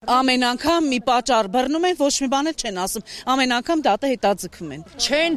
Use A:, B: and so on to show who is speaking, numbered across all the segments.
A: Ամեն անգամ մի պատճառ բռնում են, ոչ մի բան չեն ասում։ Ամեն անգամ դատը հետաձգվում են։
B: Չեն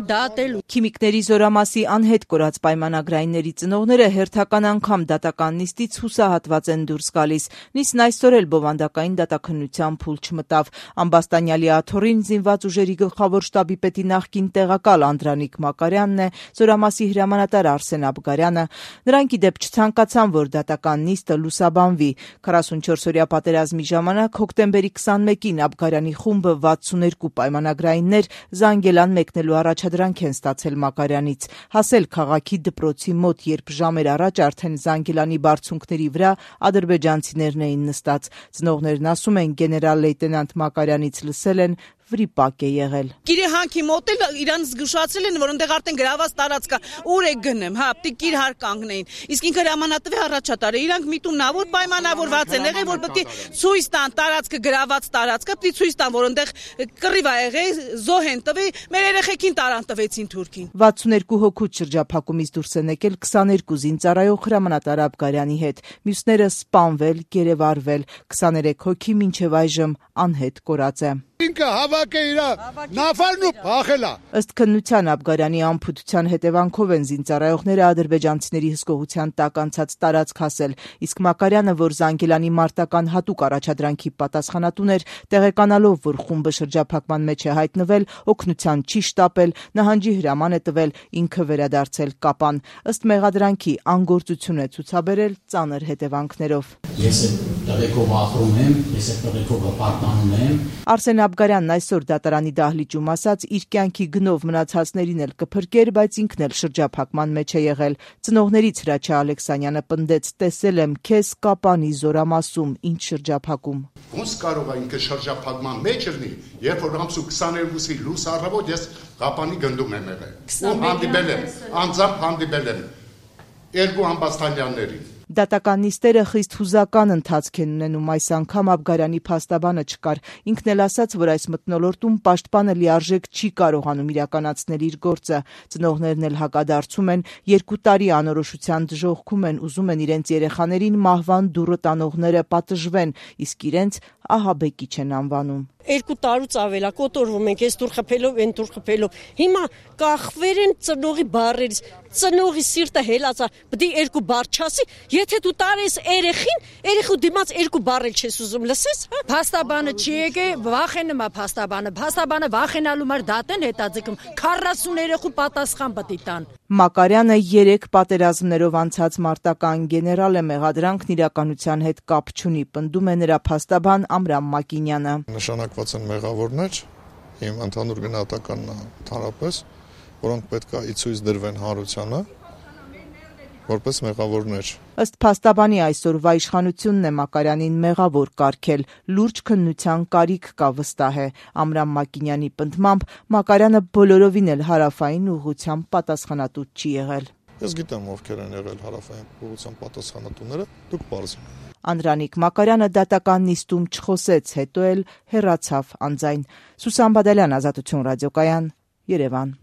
B: դատելու։
C: Քիմիկների զորամասի անհետ կորած պայմանագրայինների ծնողները հերթական անգամ դատական նիստից հուսահատված են դուրս գալիս։ Նիստն այսօր էլ բովանդակային դատաքննության փուլ չմտավ։ Ամբաստանյալի աթոռին զինված ուժերի գլխավոր շտաբի պետի նախկին տեղակալ Անդրանիկ Մակարյանն է, զորամասի հրամանատար Արսեն Աբգարյանը։ Նրանք ի դեպ չցանկացան, որ դատական նիստը լուսաբանվի։ 44-օրյա պատերազմի ժամանակ հոկտեմբերի 21-ին Աբգարյանի խումբը 62 պայմանագրայիններ Զանգելան մեկնելու առաջադրանք են ստացել Մակարյանից։ Հասել քաղաքի դպրոցի մոտ, երբ ժամեր առաջ արդեն Զանգելանի բարձունքների վրա ադրբեջանցիներն էին նստած։ Ծնողներն ասում են, գեներալ լեյտենանտ Մակարյանից լսել են, վրիպակ է եղել։
A: Գիրի հանքի մոտ էլ իրան զգուշացրել են, որ այնտեղ արդեն գրաված տարածք կա, ուր է գնեմ, պետք է իր հար կանգնեին։ Իսկ ինքը հրամանատվի առաջատար է, իրանք միտումնավոր պայմանավորված են եղել, որ պետք է ցույց տան տարածքը գրաված տարածքը, պետք է ցույց տան, որ այնտեղ կռիվ ա եղել, զոհ են տվել, մեր երեխեքին տարան տվեցին թուրքին։
C: 62 հոգուց շրջափակումից դուրս են եկել 22 զինծառայող հրամանատար Աբգարյանի հետ։ Մյուսները սպանվել, գերեվարվել, 23 հոգի մինչև այժմ անհետ կորած է։
D: Ինքը հավաք է իրա նավարն ու փախելա։
C: Ըստ քննության Աբգարյանի անփութության հետևանքով են զինծառայողները ադրբեջանցիների հսկողության տակ անցած տարածք հասել, իսկ Մակարյանը, որ Զանգելանի մարտական հատուկ առաջադրանքի պատասխանատուն էր, տեղեկանալով, որ խումբը շրջափակման մեջ է հայտնվել, օգնության չի շտապել, նահանջի հրաման է տվել, ինքը վերադարձել Կապան։ Ըստ մեղադրանքի անգործություն է ցուցաբերել ծանր հետևանքներով։
E: Ես տղեկով ախրում եմ, ես տղեկով պարտանում եմ։
C: Արսեն Աբգարյանն այսօր դատարանի դահլիճում ասաց, իր կյանքի գնով մնացածներին էլ կփրկեր, բայց ինքն էլ շրջափակման մեջ է եղել։ Ծնողներից Հրաչյա Ալեքսանյանը պնդեց, տեսել եմ քեզ Կապանի զորամասում, ինչ շրջափակում։
D: Ոնց կարող է ինքը շրջափակման մեջ լինի, երբ որ ամսու 22-ի լույս առավոտ ես Կապանի գնդում եմ եղել։ Ու հանդիպել եմ, անձամբ հանդիպել եմ երկու ամբաստանյաններին։
C: Դատական նիստերը խիստ հուզական ընթացք են ունենում, այս անգամ Աբգարյանի փաստաբանը չկար։ Ինքն էլ ասաց, որ այս մթնոլորտում պաշտպանը լիարժեք չի կարողանում իրականացնել իր գործը։ Ծնողներն էլ հակադարձում են, 2 տարի անորոշության դժոխքում են, ուզում են իրենց երեխաներին մահվան դուռը տանողները պատժվեն, իսկ իրենց ահաբեկիչ են անվանում։
B: 2 տարուց ավել է կոտորվում ենք, այս դուր խփելով, այն դուր խփելով։ Հիմա կախվեր են ծնողի բառերից, ծնողի սիրտը հելացա, պետք է 2 բառ չասի, եթե դու տարես երեխին, երեխու դիմաց 2 բառ էլ չես ուզում լսես, հա։ Փաստաբանը չի եկել, վախենում է փաստաբանը վախենալու մար դատեն հետաձգում, 40 երեխու պատասխան պետք է տան։
C: Մակարյանը 3 պատերազմներով անցած մարտական գեներալ է, մեղադրանքն իրականության հետ կապ չունի, պնդում է նրա փաստաբան Ամրամ Մակինյանը։
F: Նշանակված են մեղավորներ, իմ ընդհանուր գնահատականն ընդհանրապես, որոնք պետք է ի ցույց դրվեն հանրությանը, որպես մեղավորներ։
C: Ըստ փաստաբանի այսօրվա իշխանությունն է Մակարյանին մեղավոր կարգել, լուրջ քննության կարիք կա, վստահ է։ Ամրամ Մակինյանի պնդմամբ Մակարյանը բոլորովին էլ հարավային ուղղությամբ պատասխանատու չի եղել։
F: Ես գիտեմ ովքեր են եղել հարավային ուղղությամբ պատասխանատուները, դուք պարզեք։
C: Անդրանիկ Մակարյանը դատական նիստում չխոսեց, հետո էլ հեռացավ անձայն։ Սուսան Բադալյան, Ազատություն ռադիոկայան, Երևան։